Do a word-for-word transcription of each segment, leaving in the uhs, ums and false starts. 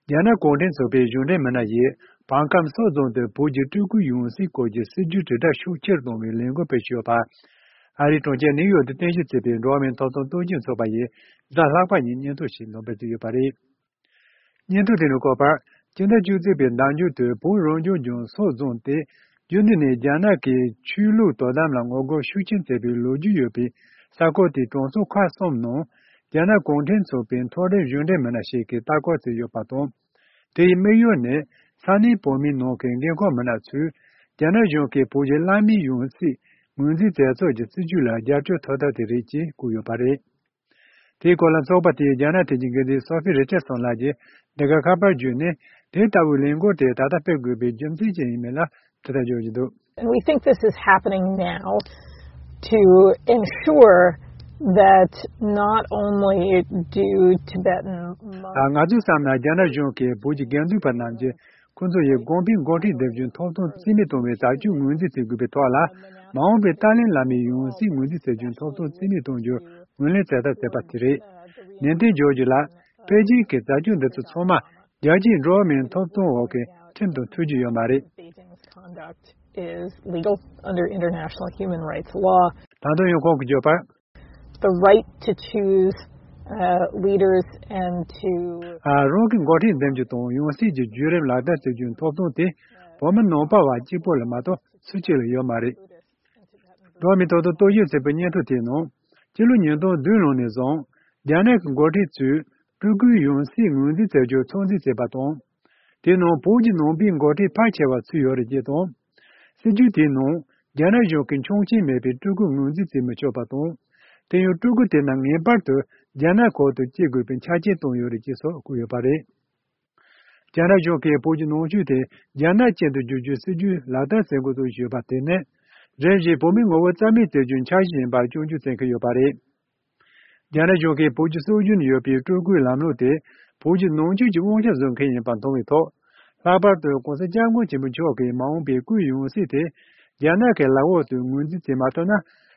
རྒྱ་ནག་གུང་ཁྲན་ཚོགས་པའི་གཞུང་འབྲེལ་མི་སྣ་ཡིས་བང་ཁམས་སོག་རྫོང་དུ་བོད་ཀྱི་སྤྲུལ་སྐུའི་ཡང་སྲིད་སྐོར་གྱི་སྲིད་ཇུས་དྲིལ་བསྒྲགས་ཤུགས་ཆེར་གཏོང་བའི་ལས་འགུལ་སྤེལ་བཞིན་ཡོད་པ། ཨ་རིའི་གྲོང་ཁྱེར་ནིའུ་ཡོག་ཏུ་རྟེན་གཞི་བྱས་པའི་འགྲོ་བ་མིའི་ཐོབ་ཐང་རྟོག་ཞིབ་ཚོགས་པ་ཡིས་གཟའ་ལྷག་པ་ཉིན་སྙན་ཐོ་ཞིག་འདོན་སྤེལ་བྱས་ཡོད་པ་རེད། སྙན་ཐོ་དེ་ནས་བཀོད་པར། སྤྱི་ཟླ་བཅུ་གཅིག་པའི་ཟླ་མཇུག་ཏུ་བོད་རང་སྐྱོང་ལྗོངས་སོག་རྫོང་དེ་རྒྱུན་དུ་ནས་རྒྱ་ནག་གི་ཆོས་ལུགས་དོ་དམ་ལ་ངོ་རྒོལ་ཤུགས་ཆེན་བྱས་པའི་ལོ་རྒྱུས་ཡོད་པའི་ས་ཁུལ་དེའི་གྲོང་ཚོ་ཁག་གསུམ་ནང་རྒྱ་ནག་གུང་ཁྲན་ཚོགས་པའི་མཐོ་རིམ་གཞུང་འབྲེལ་མི་སྣ་ཞིག་གིས་ལྟ་སྐོར་བྱས་ཡོད་པ་དང་། དེའི་དམིགས་ཡུལ་ནི་ས་གནས་བོད་མིའི་ནང་གི་འགན་ཁུར་མི་སྣ་ཚོས་རྒྱ་ནག་གཞུང་གིས་བོད་ཀྱི་བླ་མའི་ཡང་སྲིད་ངོས་འཛིན་མཛད་ཚུལ་གྱི་སྲིད་ཇུས་ལ་རྒྱབ་སྐྱོར་ཐོབ་ཐབས་དེ་རེད་ཅེས་བཀོད་ཡོད་པ་རེད། དེའི་སྐོར་ལ་ཚོགས་པ་དེའི་རྒྱ་ནག་ཐད་ཀྱི་འགན་འཛིན་སོ་ཕི་རི་ཅར་སོན་ལགས་ཀྱིས་འདི་ག་ཁ་པར་བརྒྱུད་ནས་དེ་ལྟ་བུའི་ལས་འགུལ་དེ་ད་ལྟ་སྤེལ་དགོས་པའི་རྒྱུ་མཚན་ཅི་ཡིན་མིན་ལ་དྲི་བརྡ་འཇོག་བཞིན་འདུག And we think this is happening now to ensure that not only do Tibetan monks ང་ཚོའི་བསམ་ན་རྒྱ་ནག་གཞུང་གིས་བོད་ཀྱི་དགེ་འདུན་པ་རྣམས་ཀྱིས་ཁོ་ཚོ་ཡི་དགོན་པའི་འགོ་ཁྲིད་འདེམས་རྒྱུའི་ཐོབ་ཐང་རྩིས་མེད་གཏོང་བའི་བྱ་སྤྱོད་ངོས་འཛིན་བྱེད་དགོས་པའི་ཐོག་ལ། མ་འོངས་པའི་ཏཱ་ལའི་བླ་མའི་ཡང་སྲིད་ངོས་འཛིན་བྱ་རྒྱུའི་ཐོབ་ཐང་རྩིས་མེད་གཏོང་རྒྱུར་ངོས་ལེན་བྱེད་ཐབས་བྱས་པ་དེ་རེད། ནན་ཏན་བརྗོད་རྒྱུ་ལ། པེ་ཅིང་གི་བྱ་སྤྱོད་འདི་ཚོ་ཚང་མ་རྒྱལ་སྤྱིའི་འགྲོ་བ་མིའི་ཐོབ་ཐང་འོག་གི་ཁྲིམས་དང་མཐུན་རྒྱུ་ཡོད་མ་རེད། Beijing's conduct is legal under international human rights law. ད་དུང་ཡང་ཁོང་གིས་བརྗོད་པར། The right to choose, uh, leaders and to ཨ། རང་གི་འགོ་ཁྲིད་འདེམས་རྒྱུ་དང་ཡང་སྲིད་ཀྱི་བརྒྱུད་རིམ་ལག་བསྟར་བྱེད་རྒྱུའི་ཐོབ་ཐང་དེ་བོད་མི་ནང་པ་བ་གཅིག་པོ་ལ་མ་གཏོགས་སུ་གཅིག་ལ་ཡོད་མ་རེད། འགྲོ་བ་མིའི་ཐོབ་ཐང་རྟོག་ཞིབ་ཚོགས་པའི་སྙན་ཐོ་དེའི་ནང་། སྤྱི་ལོ་ཉིས་སྟོང་བདུན་ལོ་ནས་བཟུང་རྒྱ་ནག་གི་འགོ་ཁྲིད་ཚོས་སྤྲུལ་སྐུའི་ཡང་སྲིད་ངོས་འཛིན་བྱ་རྒྱུར་ཚོད་འཛིན་བྱས་པ་དང་། དེའི་ནང་བོད་ཀྱི་ནང་པའི་འགོ་ཁྲིད་ཕལ་ཆེ་བ་ཚུད་ཡོད་རེད་ཅེས་དང་། སྲིད་ཇུས་དེའི་ནང་རྒྱ་ནག་གཞུང་གིས་ཆོག་མཆན་མེད་པའི་སྤྲུལ་སྐུ་ངོས་འཛིན་བྱེད་མི་ཆོག་པ་དང་། དེ་ཡང་སྤྲུལ་སྐུ་དེ་རྣམས་ངེས་པར་དུ་རྒྱ་ནག་ཁུལ་དུ་སྐྱེས་དགོས་པའི་ཆ་རྐྱེན་བཏོན་ཡོད་རེད་ཅེས་སོགས་བཀོད་ཡོད་པ་རེད། རྒྱ་ནག་གཞུང་གིས་བོད་ཀྱི་ནང་ཆོས་དེ་རྒྱ་ནག་ཅན་དུ་བསྒྱུར་རྒྱུའི་སྲིད་ཇུས་ལག་བསྟར་བྱེད་འགོ་ཚུགས་བཞིན་ཡོད་པ་དེ་ནི། རིམ་བཞིན་བོད་མིའི་ངོ་བོ་རྩ་མེད་བྱེད་རྒྱུའི་འཆར་གཞི་ཡིན་པར་སྐྱོན་བརྗོད་བྱེད་མཁན་ཡོད་པ་རེད། རྒྱ་ནག་གཞུང་གིས་བོད་ཀྱི་སྲོལ་རྒྱུན་ཡོད་པའི་སྤྲུལ་སྐུའི་ལམ་ལུགས་དེ་བོད་ཀྱི་ནང་ཆོས་ཀྱི་དབང་ཆ་བཟུང་མཁན་ཡིན་པ་མཐོང་བའི་ཐོག་ལྷག་པར་དུ་༸གོང་ས་༸སྐྱབས་མགོན་ཆེན་པོ་མཆོག་གིས་མ་འོངས་པའི་སྐུའི་ཡང་སྲིད་དེ་རྒྱ་ནག་གི་ལག་འོག་ཏུ་ངོས་འཛིན་བྱེད་མ་ཐུབ་ན།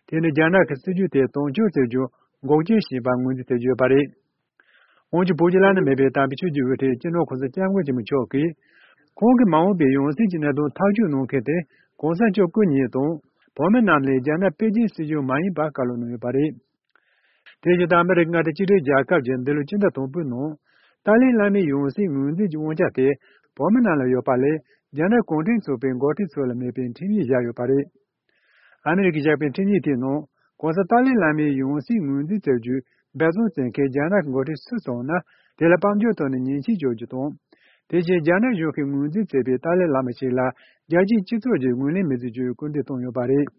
དེ་ནི་རྒྱ་ནག་གི་སྲིད་ཇུས་དེ་དོན་འཁྱོལ་བྱེད་རྒྱུར་འགོག་རྐྱེན་ཞིག་ཡིན་པར་ངོས་འཛིན་བྱེད་ཀྱི་ཡོད་པ་རེད། འོན་ཀྱང་བོད་ཀྱི་བླ་ན་མེད་པའི་དམ་པའི་ཆོས་ཀྱི་དབུ་ཁྲིད་སྤྱི་ནོར་༸གོང་ས་༸སྐྱབས་མགོན་ཆེན་པོ་མཆོག་གིས། ཁོང་གིས་མ་འོངས་པའི་ཡང་སྲིད་ཀྱི་གནད་དོན་ཐག་གཅོད་གནང་མཁན་དེ་༸གོང་ས་མཆོག་སྐུ་ཉིད་དང་བོད་མི་རྣམས་ལས་རྒྱ་ནག་པེ་ཅིན་སྲིད་གཞུང་མ་ཡིན་པ་བཀའ་སློབ་གནང་ཡོད་པ་རེད། དེ་བཞིན་ཨ་མི་རི་ཀའི་མངའ་སྡེ་གཅིག་སྒྲིལ་རྒྱལ་ཁབ་ཀྱིས་འདི་ལོའི་སྤྱི་ཟླ་དང་པོའི་ནང་ཏཱ་ལའི་བླ་མའི་ཡང་སྲིད་ངོས་འཛིན་གྱི་དབང་ཆ་དེ་བོད་མི་རྣམས་ལ་ཡོད་པ་ལས་རྒྱ་ནག་གུང་ཁྲན་ཚོགས་པའི་འགོ་ཁྲིད་ཚོ་ལ་མེད་པའི་ཁྲིམས་ཡིག་བཞག་ཡོད་པ་རེད། ཨ་མི་རི་ཀས་བཞག་པའི་ཁྲིམས་ཡིག་དེའི་ནང་༸གོང་ས་ཏཱ་ལའི་བླ་མའི་ཡང་སྲིད་ངོས་འཛིན་བྱ་རྒྱུའི་འབད་བརྩོན་བྱེད་མཁན་རྒྱ་ནག་གི་འགོ་ཁྲིད་སུ་སོང་ན་དེ་ལ་དཔལ་འབྱོར་ཐོག་ནས་ཉེས་ཆད་གཅོད་རྒྱུ་དང་། དེ་བཞིན་རྒྱ་ནག་གཞུང་གིས་ངོས་འཛིན་བྱས་པའི་ཏཱ་ལའི་བླ་མ་ཞིག་ལ་རྒྱལ་སྤྱིའི་སྤྱི་ཚོགས་ཀྱིས་ངོས་ལེན་མི་བྱེད་རྒྱུའི་སྐུལ་འདེད་བཏང་ཡོད་པ་རེད།